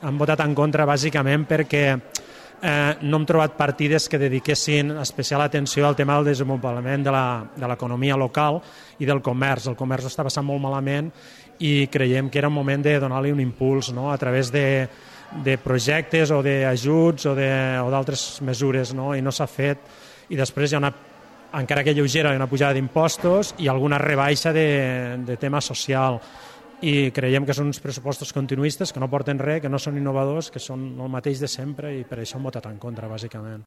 hem votat en contra bàsicament perquè no hem trobat partides que dediquessin especial atenció al tema del desenvolupament de l'economia local i del comerç. El comerç ho està passant molt malament i creiem que era un moment de donar-li un impuls, no?, a través de projectes o d'ajuts o d'altres mesures, no?, i no s'ha fet. I després hi ha encara que lleugera, una pujada d'impostos i alguna rebaixa de tema social. I creiem que són uns pressupostos continuistes que no porten res, que no són innovadors, que són el mateix de sempre i per això hem votat en contra, bàsicament.